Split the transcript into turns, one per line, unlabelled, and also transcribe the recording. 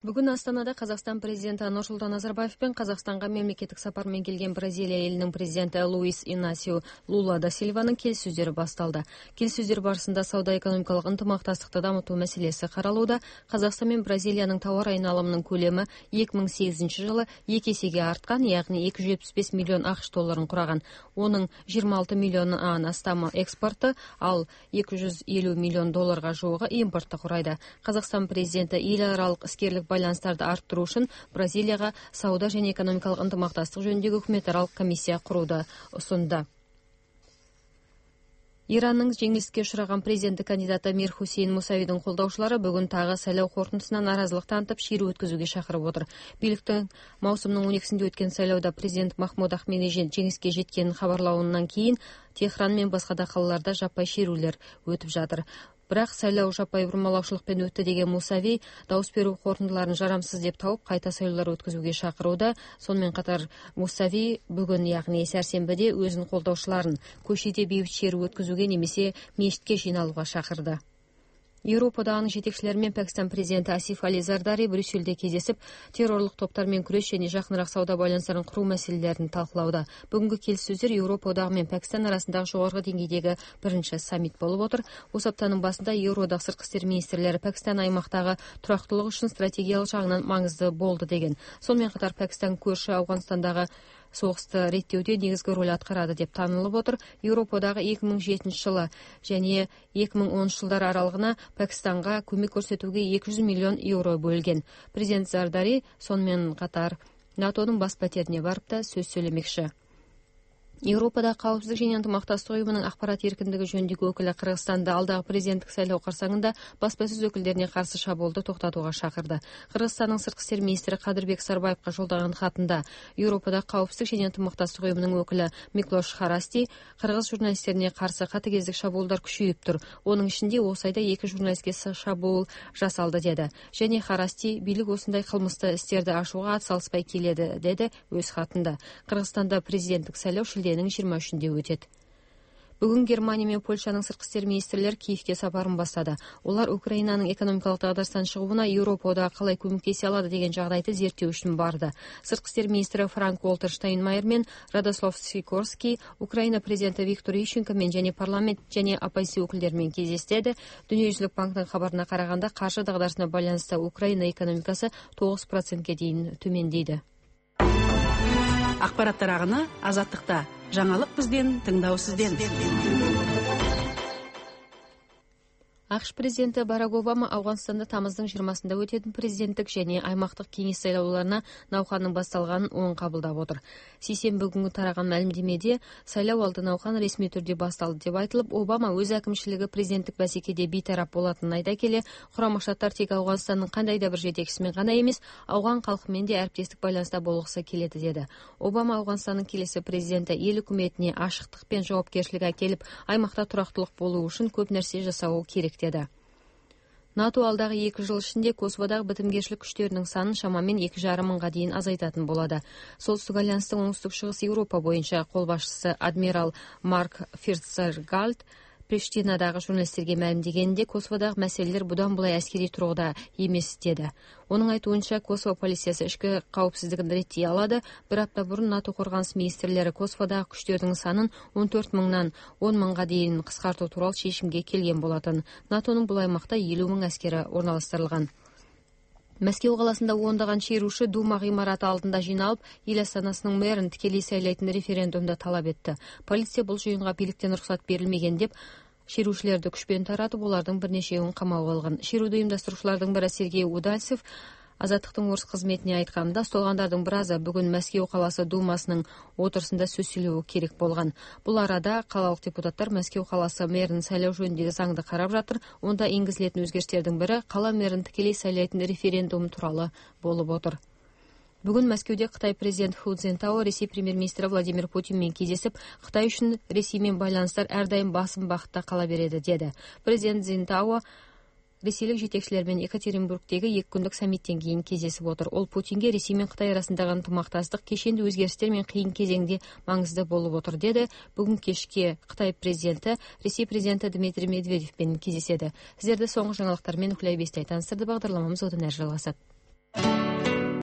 Бүгүн Астанада Казакстан президенти Нурсултан Назарбаев пен Казакстанга мемлекеттик сапар менен келген Бразилия элинин президенти Луис Инасио Лула да Сильванын келиссөздөрү башталды. Келиссөздөр барысында сауда-экономикалык ынтымакташтыкты дамытуу маселеси каралууда. Казакстан менен Бразилиянын товар айналымынын көлөмү 2008 жылы 2 эсеге арткан, ягни 275 миллион АКШ долларын кураган. Онун 26 миллионунан астамы экспорту, ал 250 миллион долларга жуугу импортту курайт. Казакстан президенти эл аралык искерлик байланыштарды арттыруу үчүн Бразилияга сауда жана экономикалык ынтымакташтык жөнүндөгү өкмөт аралык комиссия курууду сунду. Иранның жеңилиске учураган президенттик кандидаты Мир Хусейн Мусавидин колдоочулары бүгүн тагы сайлоо корутундусунан нааразылык танытып, шерүү өткөзүүгө чакырып отур. Бийликтин маусумдун 12-синде өткөн сайлоодо президент Махмуд Ахмединежад жеңиске жеткенин кабарлауынан кийин Техран менен башка да калаларда жаппай шерүүлөр өтүп жатыр. Бирок сайлоо жаппай бурмалаушылык менен өттү деген Мусави дауыс берүү корутундуларын жарамсыз деп тауып, кайта сайлоолор өткөзүүгө чакырууда. Сонун менен катар Мусави бүгүн, ягни сәрсенбиде, өзүнүн колдоочуларын көчөдө бейбит шерүү өткөзүүгө немесе мечитке жыйналууга чакырды. Европада анын жетекчилери менен Пакистан президенти Асиф Али Зардари Брюссельде кездесип, террорлук топтор менен күрөш және жакыныраак сауда байланыштарын куруу маселелерин талкуулауда. Бүгүнкү келиссөздөр Европа менен Пакистан арасындагы жогорку деңгейдеги биринчи саммит болуп отур. Осы аптанын башында Евродагы сырткы иштер министрлери Пакистан аймактагы турактуулук үчүн стратегиялык жагынан маңызды болду деген. Сонун менен катар Пакистан көршү Афганстандагы согусту реттөөдө негизги роль аткарады деп таанылып отур. Европадагы 2007 жылы және 2010 жылдар аралыгына Пакистанга көмөк көрсөтүүгө 200 миллион евро бөлгөн. Президент Зардари сонун менен катар НАТОнун бас патерине барып да сөз сүйлөмекчи. Европада каапсыздык және ынтымакташтык уюмунун акпарат эркиндиги жөнүндөгү өкүлү Кыргызстанда алдагы президенттик шайлоо карсаңында баспасөз өкүлдерине каршы шабуулду токтотууга чакырды. Кыргызстандын сырткы иштер министри Кадырбек Сарбаевга жолдогон хатында Европада каапсыздык және ынтымакташтык уюмунун өкүлү Миклош Харасти кыргыз журналисттерине каршы катыгездик шабуулдар күчөйүптүр. Онун ичинде осы айда 2 журналистке шабуул жасалды деди. Және Харасти бийлик осундай кылмыстуу истерди ашууга ат салышпай келеди, деди өз хатында. Кыргызстанда президенттик шайлоо 23-нде өтөт. Бүгүн Германия менен Польшанын сырткы иштер министрлери Киевке сапарын баштады. Олар Украинанын экономикалык дагдарыстан чыгууна Европада калай көмөктөшө алады деген жагдайды зерттөө үчүн барды. Сырткы иштер министри Франк Волтер Штайнмайер менен Радослав Сикорский Украина президенти Виктор Ющенко менен және парламент және оппозиция өкүлдөрү менен кездешти. Дүниежүзүлүк банктын кабарына караганда, каршы дагдарысына байланыштуу Украина экономикасы 9%ге дейин төмөндөйдү.
Акпараттар агыны Азаттыкта. Жаңалык бизден, тыңдоо сизден.
АКШ президенти Барак Обама Афганстанда тамыздын 20-сында өтетін президенттик және аймактык кеңеш сайлоолоруна науканын башталганын оң кабылдап отур. Сейсенбі күнү тараган маалимдемеде сайлоо алды науқан ресми түрдө башталды деп айтылып, Обама өз әкимчилиги президенттик басекеде бейтарап болатынын айта келе, Курама Штаттар тек Афганстандын кандай да бир жетекчисимен гана эмес, Афган калкы менен де әріптестік байланыста болгусу келеди деди. Обама Афганстандын келесі президенти эл өкмөтүнө ашыктык пен жоопкерчилик акелип, аймакта турактуулук болуу үчүн көп нерсе жасоо керек деди. НАТО алдагы 2 жыл ичинде Косоводагы битимгерчилик күчтөрүнүн санын шамамен 2,5 мыңга дейин азайтатын болду. Солтүстүк альянстын оңтүстүк-чыгыс Европа боюнча кол башчысы адмирал Марк Фирцергалд Приштинадагы журналисттерге маалимдегенде, Косоводагы маселелер будан булай аскерий тургуда эмес деди. Онун айтуунча, Косово полициясы ички каапсыздыгын реттей алады. Бир апта бурун НАТО коргонус министрлери Косоводагы күчтөрдүн санын 14 мыңдан 10 мыңга дейин кыскартуу тууралуу чечимге келген болотун. НАТОнун бул аймакта 50 мың аскери орналаштырылган. Мәскеу каласында ондаган шеруши Дума гыймараты алдында жыйналып, эл астанасынын мэрин тикелей сайлайтын референдумда талап этти. Полиция бул жыйынга бийликтен уруксат берилмеген деп шерушилерди күч менен таратып, булардын бир нечеуүн камап алган. Шерууду уюмдаштыруучулардын бири Сергей Удальцев Азаттыктын орус кызметине айтканда, столгандардын биразы бүгүн Мәскеу каласы Думасынын отурусунда сөз сүйлөө керек болгон. Бул арада калалык депутаттар Мәскеу каласы мэрин сайлоо жөнүндөгү заңды карап жатыр. Онда энгизилетін өзгериштердин бири кала мэрин тикелей сайлайтын референдум тууралуу болуп отур. Бүгүн Мәскеуде Кытай президенти Ху Цзинтао Ресей премьер-министри Владимир Путин менен кездесип, Кытай үчүн Ресей менен байланыштар ар дайым басым бакытта кала береди деди. Президент Цзинтао ресейлик жетекчилер менен Екатеринбургдеги 2 күндүк саммиттен кийин кездесип отур. Ол Путинге Ресей менен Кытай арасындагы ынтымакташтык кешенди өзгериштер менен кыйын кезеңде маңызды болуп отур деди. Бүгүн кечке Кытай президенти Ресей президенти Дмитрий Медведев менен кездешеди. Сиздерди соңку жаңылыктар менен Күлөй Бестей таныстырды. Багдарламамыз одан ары жалгасат.